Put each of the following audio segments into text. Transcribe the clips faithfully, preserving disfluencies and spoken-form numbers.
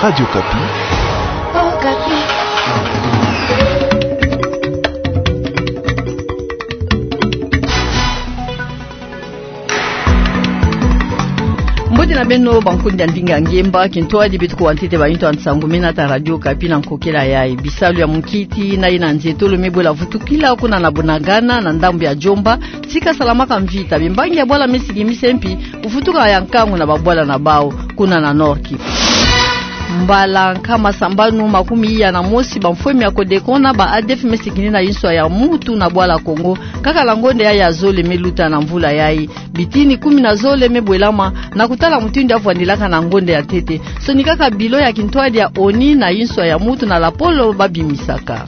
Radio Okapi. Mbote na beno, bankundi ya ndinga ngemba. Kintwadi beto kuwa ntete ba intu ya nsangu mena ta Radio Okapi na nkokela yayi. Bisalu ya munkiti na yina nzietolo me bwela vutukila kuna na Bunagana, na ndambu ya Djomba, tika salamaka mvita. Bimbangi ya bwala me sikimise mpi kuvutuka ya nkangu na babwala na bawu kuna na Nord-Kivu. Mbala nkama sambanu makumi iya na mosi, bamfwemi ya Codeco na ba ADF me sikini na inswa ya mutu na bwala Congo, kaka na ngonda yayi ya zole me luta na mvula yayi. Bitini kumi na zole me bwelama na kutala mutindu ya vwandilaka na ngonda ya ntete. Sonikaka bilo ya kintwadi ya ONU na inswa ya mutu na lapolo ba bimisaka.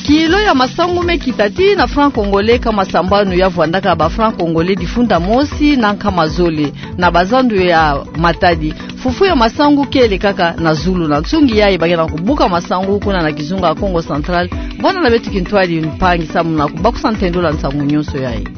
Kilo ya masangu me kita tii na franc congolais nkama sambanu ya vwandaka ba franc congolais difunda mosi na nkama zole na bazandu ya Matadi. Fufu ya masangu kele kaka na zulu. Na nsungi yayi ba ke na kubuka masangu kuna na kizunga Kongo Central. Bwana na beto kintwadi mpangi samu na kubakusa ntendolo ya nsangu nyonso yayi.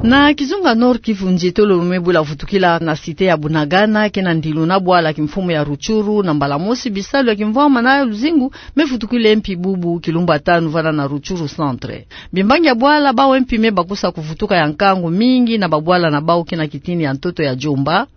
Na kizunga Nord-Kivu, nzietolo me bwela vutukila na cité ya Bunagana, ke na ndilu na bwala kimfumu ya Rutshuru, na mbala mosi bisalu ya kimvwama na luzingu me vutukila mpi bubu kilumbu ya tanu vana na Rutshuru centre. Bimbangi ya bwala bawu mpi me bakusa kuvutuka ya nkangu mingi na babwala na bawu ke na kitini ya ntoto ya Djomba.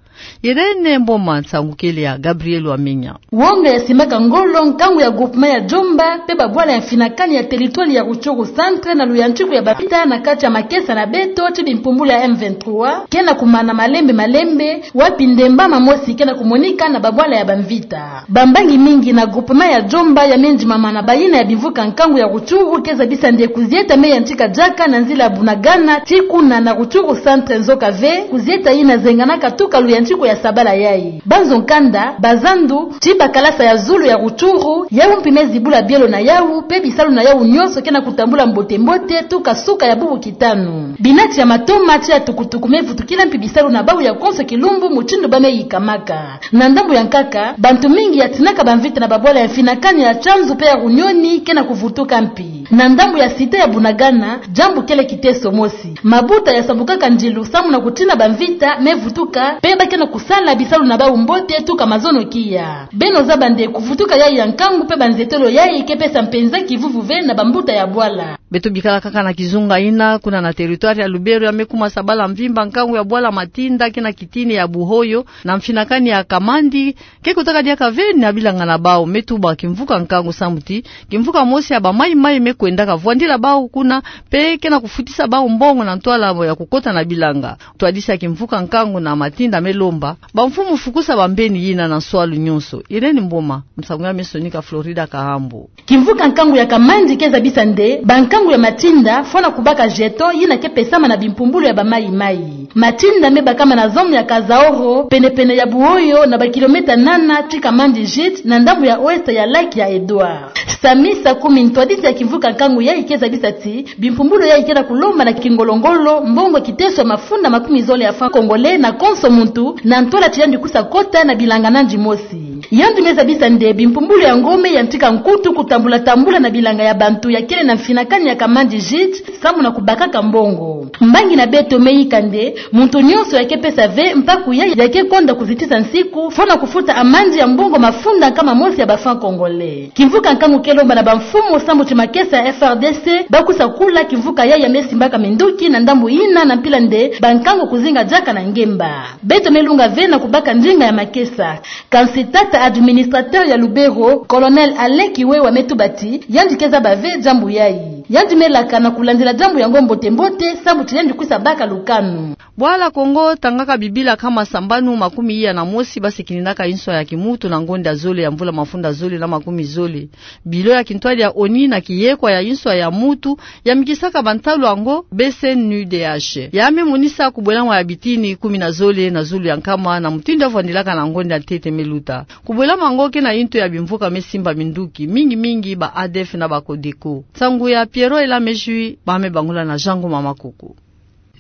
Irène Mboma, nsangu kele ya Gabriel Wamenya. Wonga ya simbaka ngolo nkangu ya groupement ya Djomba mpe babwala ya mfinakani ya territoire ya Rutshuru centre na luyantiku ya bamvita na kati ya makesa na beto ti bimpumbulu ya M vingt-trois ke na kumana malembe malembe, wapi ndemba mamosi ke na kumonika na babwala ya bamvita. Bambangi mingi na groupement ya Djomba ya me ndimama na bayina ya bimvuka nkangu ya Rutshuru ke zabisa nde kuzieta me yantika diaka na nzila ya Bunagana tii kuna na Rutshuru centre, nzoka ve kuzieta yina zenganaka tuka luyantiku ya sabala yayi. Banzo nkanda, bazandu, tii bakalasa ya zulu ya Rutshuru, yawu mpi me zibula bielo na yawu, mpe bisalu na yawu nyonso ke na kutambula mbote-mbote tuka suka ya bubu kitanu. Binati ya matoma tii ya tukutuku me vutukila mpi bisalu na bawu ya konso kilumbu mutindu ba me yikamaka. Na ndambu ya nkaka, bantu mingi ya tinaka bamvita na babwala ya mfinakani ya Tsanzu mpe ya Runioni ke na kuvutuka mpi. Na ndambu ya cité ya Bunagana, diambu kele kiteso mosi. Mabuta ya sambukaka ndilu samu na kutina bamvita me vutuka, mpe ba ke na kusala bisalu na bawu mbote tuka mazono kiya. Beno zaba nde kuvutuka yayi ya nkangu mpe banzietolo yayi ke pesa mpenza kivuvu ve na bambuta ya bwala. Beto bikala kaka na kizunga yina, kuna na territoire ya Lubero ya me kuma sabala mvimba nkangu ya bwala Matinda ke na kitini ya Buhoyo na mfinakani ya Kamandi, ke kotaka diaka ve na bilanga na bawu. Me tuba kimvuka nkangu samu ti kimvuka mosi ya ba mayi-mayi me kwendaka vwandila bawu kuna, mpe ke na kufutisa bawu mbongo na ntwala ya kukota na bilanga. Ntwadisi ya kimvuka nkangu na Matinda me lomba bamfumu fukusa bambeni yina na nswalu nyonso. Irène Mboma, nsangu ya me sonika Florida Kahambo. Kimvuka nkangu ya Kamandi ke zabisa nde bankangu ya Matinda fwana kubaka jeton yina ke pesama na bimpumbulu ya ba mayi-mayi. Matinda me bakama na zone ya Kazaoro, pene-pene ya Buhoyo, na ba kilomètre nana tii Kamandi gîte, na ndambu ya ouest ya lac ya Edouard. Sami Sakumi, ntwadisi ya kimvuka nkangu yayi, ke zabisa ti bimpumbulu yayi ke na kulomba na kingolo-ngolo mbongo kiteso ya mafunda makumi zole ya franc congolais na konso muntu, na ntwala ti yandi kusa kota na bilanga nandi mosi. Yandi me zabisa nde bimpumbulu yango me yantika nkutu kutambula-tambula na bilanga ya bantu ya kele na mfinakani ya Kamandi gîte samu na kubakaka mbongo. Mbangi na beto me yika nde muntu nyonso ya ke pesa ve mpaku yayi ya ke konda kuzitisa nsiku, fwana kufuta amande ya mbongo mafunda nkama mosi ya ba franc congolais. Kimvuka nkangu ke lomba na bamfumu samu ti makesa ya F R D C ba kusa kula kimvuka yayi ya me simbaka minduki na ndambu yina, na mpila nde bankangu kuzinga diaka na ngemba. Beto me lunga ve na kubaka ndinga ya makesa. Kansi tata administrateur ya Lubero, Colonel Alain Kiwewa, me tuba ti yandi ke zaba ve diambu yayi. Yandi me laka na kulandila diambu yango mbote-mbote samu ti yandi kusa baka lukanu. Bwala Kongo tangaka bibila nkama sambanu makumi iya na mosi ba sikininaka inswa ya kimuntu na ngonda zole ya mvula mafunda zole na makumi zole. Bilo ya kintwadi ya ONU na kiyekwa ya inswa ya muntu ya mikisaka bantalu yango, B C N U D H, ya me monisa kubwelama ya bitini kumi na zole na zulu ya nkama na mutindu ya vwandilaka na ngonda ya ntete me luta. Kubwelama yango ke na intu ya bimvuka me simba minduki, mingi-mingi ba A D F na ba Codeco. Nsangu ya Pierrot Ela Mejui, ba me bangula na Jean Ngoma Makoko.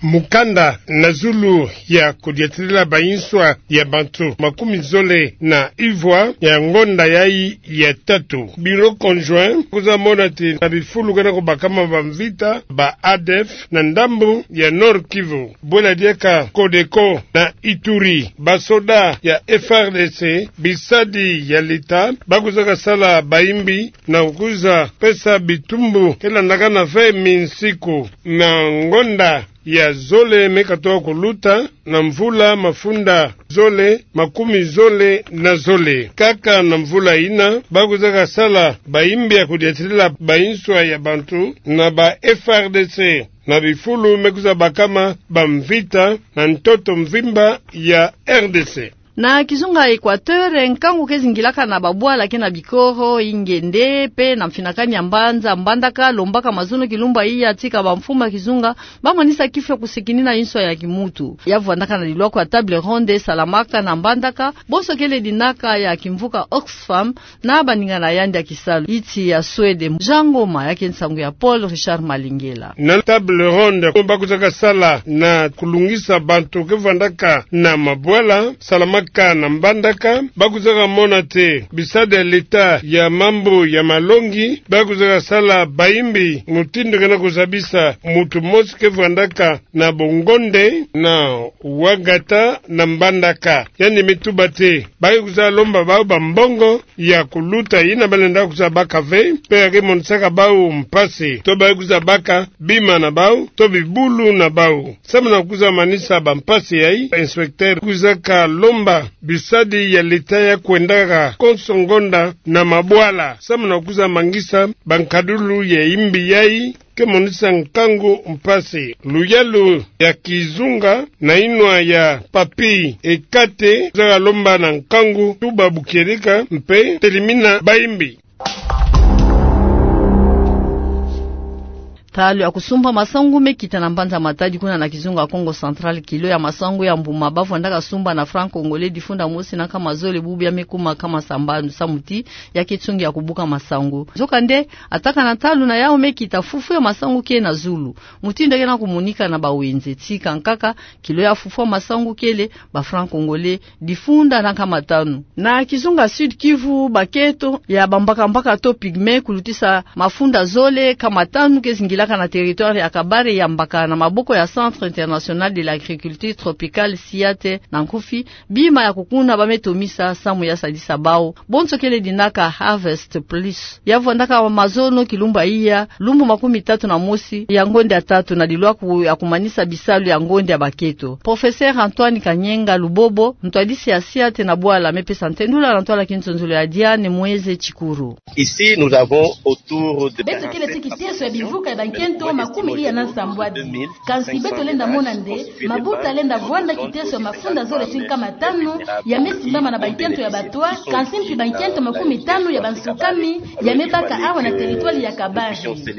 mokanda na zulu ya kodiatirila banswa ya bantu makumi zole na ivwa ya ngonda yayi ya tatu. Bureau conjoint kwiza mona ti na bifulu kena kobakama bamvita ba ADF na ndambu ya Nord-Kivu, bwela diaka CODECO na Ituri, basoda ya FRDC, bisadi ya leta, bakwizaka sala bayimbi na kwiza pesa bitumbu ke landakana ve minsiku na ngonda ya zole me katoka koluta na mvula mafunda zole makumi zole na zole. Kaka na mvula yina, bakwizaka sala bayimbi ya kodiatirila banswa ya bantu na ba FRDC na bifulu me kwiza bakama bamvita na ntoto mvimba ya RDC. Na kizunga Equateur, nkangu ke zingilaka na babwala ke na bikoro, ingende, pe na mfinakani ya mbanza Mbandaka, lombaka mazono kilumbu iya tika bamfumu ya kizunga bamonisa kifwa kusekinina inswa ya kimuntu. Ya vwandaka na lilwako ya table ronde salamaka na Mbandaka, bonso kele dinaka ya kimvuka Oxfam, na baninga na yandi ya kisalu, iti ya Suède. Jangoma yake nsangu ya Paul Richard Malingela. Na table ronde, bakwizaka sala na kulungisa bantu ke vwandaka na mabwala, salamaka na Mbandaka, bakwizaka mona ti bisadi ya leta ya mambu ya malongi, bakwizaka sala bayimbi mutindu kena kuzabisa muntu mosi ke vwandaka na Bongonde na Ouagata na Mbandaka. Yandi me tuba ti, ba ke kwiza lomba bau bambongo ya kuluta yina balenda kwiza baka ve, pe ya ke monisaka bau mpasi, to ba ke kwiza baka bima na bau, to bibulu na bau. Samu na kwiza manisa bampasi yayi, inspecteur kwizaka lomba bisadi ya leta ya kwendaka konso ngonda na mabwala, samu na kwiza mangisa bankadulu ya imbi yayi, ke monisa nkangu mpasi. Luyalu ya kizunga na inwa ya Papy Ekate, kwizaka lomba na nkangu tuba bu kieleka mpe telimina bayimbi. Ntalu ya kusumba masangu me kita na mbanza Matadi kuna na kizunga Kongo Central, kilo ya masangu ya mbuma ba vwandaka sumba na franc congolais difunda mosi na nkama zole bubu ya me kuma nkama sambanu, samu ti ya ke tsungi ya kubuka masangu. Nzokande, ataka na ntalu na yau me kita, fufu ya masangu ke na zulu. Mutindu ke na kumonika na bawenze, tika nkaka, kilo ya fufu ya masangu kele ba franc congolais difunda na nkama tanu. Na kizunga Sud-Kivu, bakento ya bambaka-mbaka to pygmée kulutisa mafunda zole nkama tanu ke zingilaka na territoire ya Kabare, yambaka na maboko ya Centre International de l'Agriculture Tropicale, CIAT na nkufi, bima ya kukuna ba me tomisa samu ya sadisa bau. Bonso kele dinaka Harvest Plus. Ya vwandaka mazono kilumbu iya, lumbu makumi tatu na mosi ya ngonda ya tatu, na lilwaku ya kumanisa bisalu ya ngonda ya bakento. Professeur Antoine Kanyenga Lubobo, ntwadisi ya CIAT na bwala, me pesa ntendula na ntwala kintondolo ya Diane Mweze Tshikuru. Ici, nous avons autour de... Beto kele ti kiteso ya bimvuka ya bankento makumi iya na nsambwadi. Kansi beto lenda mona nde mabuta lenda vwanda kiteso ya mafunda zole ti nkama tanu ya me simbama na bankento ya batwa, kansi mpi bankento makumi tanu ya bansukami ya me baka awa na territoire ya Kabare.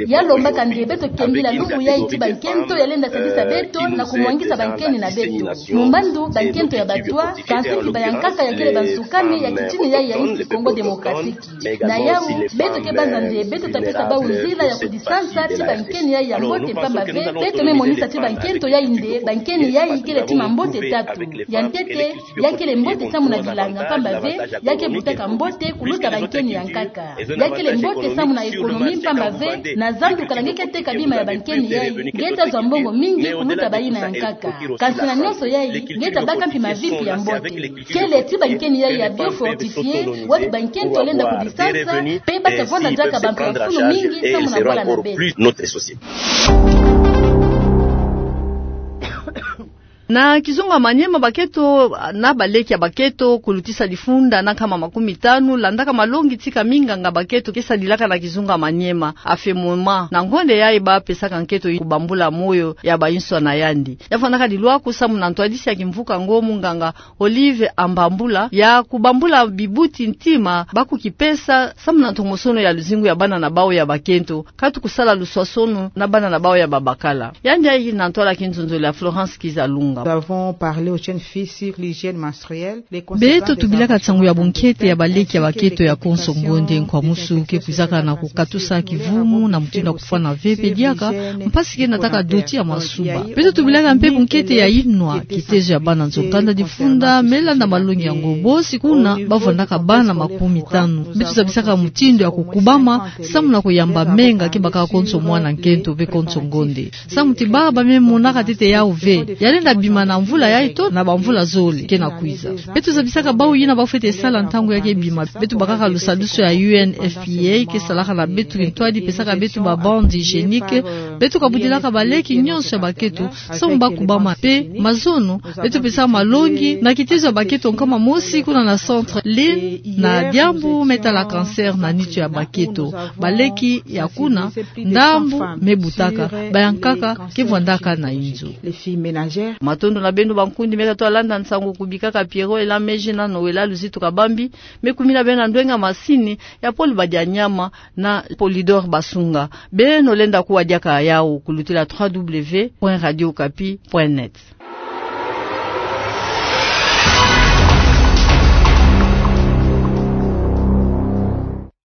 Ya lombaka nde beto kembila lumbu yayi ti bankento ya lenda sadisa beto na kumwangisa bankeni na beto. Mumbandu bankento ya batwa, kansi mpi ba ya nkaka ya kele bansukami ya kitini yayi ya insi Congo Démocratique. Na yau, beto ke banza nde beto ta pesa bau nzila ya kudisansa ti bankeni yayi ya mbote, mpamba ve beto me monisa ti bankento yayi nde bankeni yayi kele ti mambote tatu. Ya ntete, ya kele mbote samu na bilanga, mpamba ve ya ke butaka mbote kuluta bankeni ya nkaka. Ya kele mbote samu na économie, mpamba ve na zandu, kana nge ke teka bima ya bankeni yayi, nge ta zwa mbongo mingi kuluta bayina ya nkaka. Kansi na nyonso yayi, nge ta baka mpi mavi mpi ya mbote. Kele ti bankeni yayi ya biofortifié, wapi bankento lenda kudisansa, pe ba ta vwanda diaka bantu ya fulu mingi samu na bwala na beto. Na kizunga Maniema, bakento na baleki ya bakento kulutisa difunda na nkama makumi tanu landaka malongi tika minganga bakento ke sadilaka na kizunga Maniema, AFEMOMA, na ngonda yayi ba pesaka nkento kubambula moyo ya bainswa na yandi. Ya vwandaka lilwaku samu na ntwadisi ya kimvuka ngo, munganga Olive Ambambula, ya kubambula bibuti ntima ba kukipesa samu na ntomosono ya luzingu ya bana na bau ya bakento, katu kusala luswasono na bana na bau ya babakala. Yandi yayi na ntwala kinzonzolo ya Florence Kizalunga. Nous avons parlé aux jeunes filles sur l'hygiène menstruelle. Beto tubilaka nsangu ya bunkete ya baleki ya bakento ya konso ngonde. Nkwa musu ke kwizaka na kukatusa kivumu na mutindu ya kufwana ve pe diaka mpasi ke nataka doti ya masuba. Beto tubilaka mpe bunkete ya inwa, kitezo ya bana nzo kanda difunda me landa malongi yango. Bosi kuna bavwandaka bana makumi tanu. Beto zabisaka mutindu ya kukubama samu na kuyamba menga ke bakaka konso mwana nkento pe konso ngonde. Samu ti baba me monaka ntete yau ve, ya lenda bima na mvula yayi to na bamvula zole ke na kwiza. Beto zabisaka bau yina bafwete sala ntangu ya ke bima. Beto bakaka lusadusu ya U N F P A ke salaka na beto kintwadi pesaka beto ba bandes hygiéniques. Beto kabudilaka baleki nyonso ya bakento samu bakubama pe mazono. Beto pesaka malongi na kitezo ya bakento nkama mosi kuna na centre Lynn na diambu me tala cancer na nitu ya bakento. Baleki ya kuna ndambu me butaka, bayankaka ke vwandaka na inzo. Matondo na beno bankundi me tato landa nsangu kubikaka Pierrot Ela Meji na Noëlla Luzitu Kabambi, me kumina beno na ndwenga masini ya Paul Badianyama na Polydor Basunga. Beno lenda kuwa diaka yau kulutila trois W point radio okapi point net.